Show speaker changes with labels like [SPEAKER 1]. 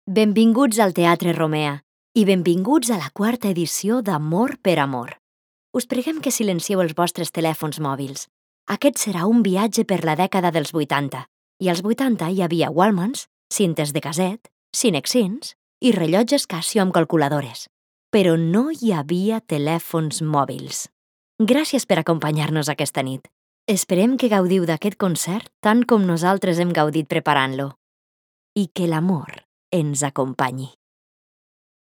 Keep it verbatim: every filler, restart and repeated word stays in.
[SPEAKER 1] Benvinguts al Teatre Romea i benvinguts a la quarta edició d'Amor per Amor. Us preguem que silencieu els vostres telèfons mòbils. Aquest serà un viatge per la dècada dels vuitanta, i als vuitanta hi havia Walkmans, cintes de caset, Cinexins i rellotges Casio amb calculadores. Però no hi havia telèfons mòbils. Gràcies per acompanyar-nos aquesta nit. Esperem que gaudiu d'aquest concert tant com nosaltres hem gaudit preparant-lo. I que l'amor ens acompanyi.